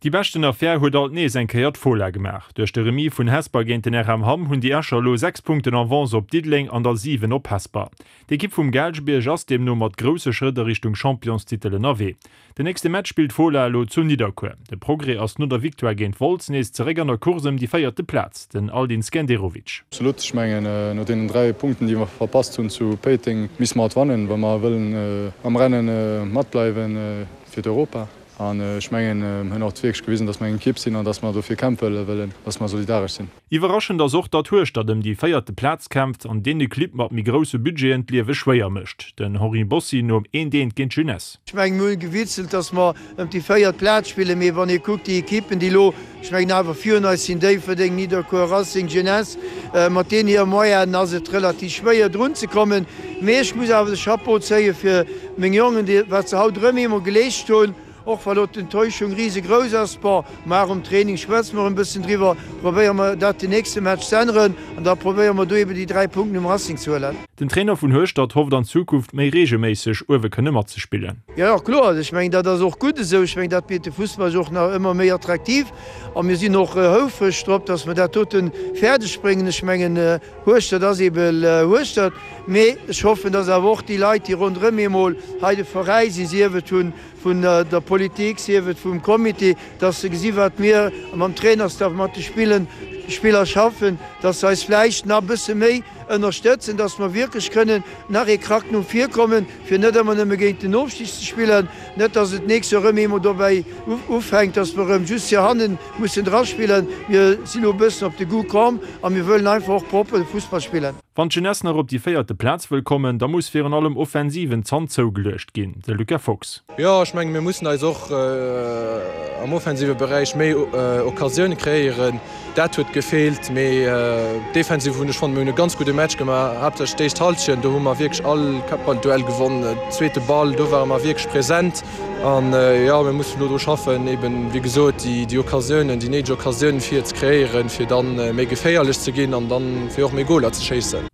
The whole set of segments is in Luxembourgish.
Déi beschten Affär huet alt nees eng Kéier d'Fola gemaach. Duerch de Remis vun Hesper géint den RM Hamm hunn déi Escher elo 6 Punkten Avance op Diddeleng an der 7 op Hesper. D'Ekipp vum Gaalgebierg ass deemno mat grousse Schrëtt a Richtung Championstitel ënnerwee. Den nächste Match spillt d'Fola elo zu Nidderkuer. De Progrès ass no der Victoire géint Wolz nees zeréck an der Course ëm déi véierte Plaz, den Aldin Skenderovic. Absolut, ech mengen no deenen 3 Punkten déi mer verpasst hunn zu Péiteng misse mer haut wannen, wa mer wëllen am Rennen matbleiwen fir d'Europa. An ech mengen, mir hunn och wierklech gewisen, dass mer eng Ekipp sinn an dass mer dofir kämpfe wëllen, dass mer solidaresch sinn. Iwwerraschend ass och, datt Hueschtert ëm déi véierte Plaz kämpft an deene Clibb mat méi grousse Budgeten d'Liewe schwéier mécht. Den Henri Bossi nom eent eent géint d'Jeunesse. Ech mengen, mir hunn gewitzelt, dass mer ëm déi véiert Plaz spillen, mee wann ee kuckt, déi Ekippen, déi elo, ech mengen, awer virun eis sinn, Déifferdeng, Nidderkuer, Racing, Jeunesse, mat deenen hire Moyenen ass et relativ schwéier drunzekommen. Mee ech muss awer de Chapeau zéie fir Meng Jongen, déi, wat se haut erëm eemol geleescht hunn, och wa lo d'Enttäuschung risegrouss ass, bon, mar um Training schwätze mer e bëssen driwwer, probéiere mer dat den nächste Match ze änneren an da probéiere mer do eben déi 3 Punkten um Racing ze huelen. Den Trainer vun Hueschtert hofft an Zukunft méi reegelméisseg uewe kënne matzespillen. Jo, jo, kloer. Ech mengen, dat ass och gutt esou. Ech mengen, dat mécht de Fussball och nach ëmmer méi attraktiv a mir sinn och houfreg drop, dass mer dat dote fäerdeg bréngen. Ech mengen, Hueschtert ass ebe Hueschtert, mee ech hoffen, dass awer och déi Leit, déi ronderëm eemol hei de Veräi sinn, sief et vun der Politik, sief et vum Comité, dass se gesi wat mir mam Trainerstaff, mat de Spiller schaffen, dass se eis vläicht nach e bësse méi ënnerstëtzen, dass mer wierklech kënnen nach ee Krack no vir kommen, fir net ëmmer nëmme géint den Ofstig ze spillen, net dass et d'nächst Joer erëm eemol dobäi ufänkt, dass mer erëm just hier hannen mussen draspillen. Mir sinn elo e bëssen op de Goût komm a mir wëllen einfach och propper Fussball spillen. Wann d'Jeunesse nach op déi véierte Plaz wëll kommen, da muss virun allem offensiv en Zant zougeluecht ginn, de Luca Fox. Jo, ech menge mir mussen eis och am offensive Beräich méi Occasioune kreéieren. Dat huet gefeelt, mee defensiv hunn ech fonnt, mir hunn e ganz gudde Match gemaach, haaptsächlech d'éischt Hallschent, do hu mer wierklech all Kappballduell gewonn, zweete Ball, do ware mer wierklech present an jo, mir mussen elo dru schaffen, eben wéi gesot déi Occasiounen, déi néideg Occasiounen fir ze kreéieren, fir dann méi geféierlech ze ginn an dann fir och méi Goler ze schéissen.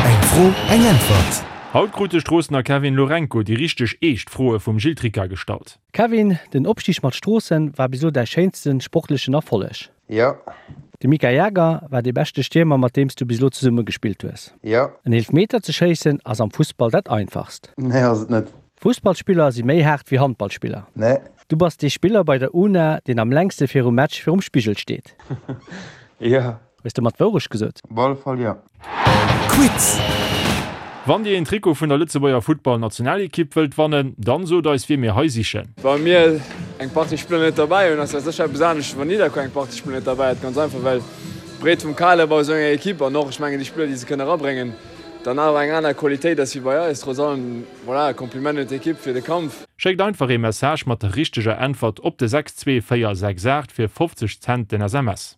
Eng Fro, eng Äntwert! Haut krut de Stroossener Kevin Lourenco déi richteg eescht Froe vum Gilles Tricca gestallt. Kevin, den Opstig mat Stroossen war bis elo däi schéinsten sportlechen Erfolleg? Jo. De Mika Jager war dee beschte Stiermer mat deem s du bis elo zesumme gespillt hues. Jo. En Eelfmeter ze schéissen ass am Fussball dat einfachst. Nee, ass et net. Fussballspiller si méi haart wéi Handballspiller. Nee. Du bass dee Spiller bei der UNA deen am längste virum Match virum Spigel steet. Jo. Hues de mat Wourecht gesot? Op alle Fall jo. Quiz! Wann dir een Trikot vun der Lëtzebuerger Futtball Nationalekipp wëllt wannen, dann sot eis wie mir hei sichen. Wa mir eng Partie Spiller net derbäi hunn, ass dat sécher eppes anescht wéi wann Nidderkuer eng Partie Spiller net derbäi huet. Ganz einfach well d'Breet vum Kader bei esou enger Ekipp an och, ech mengen, déi Spiller déi se kënne erabréngen, dann awer eng aner Qualitéit ass wéi bei eis. Trotz allem, voilà, Kompliment un d'Ekipp fir de Kampf. Schéckt einfach ee Message mat der richteger Äntwert op de 62468 fir 50 Cent den SMS.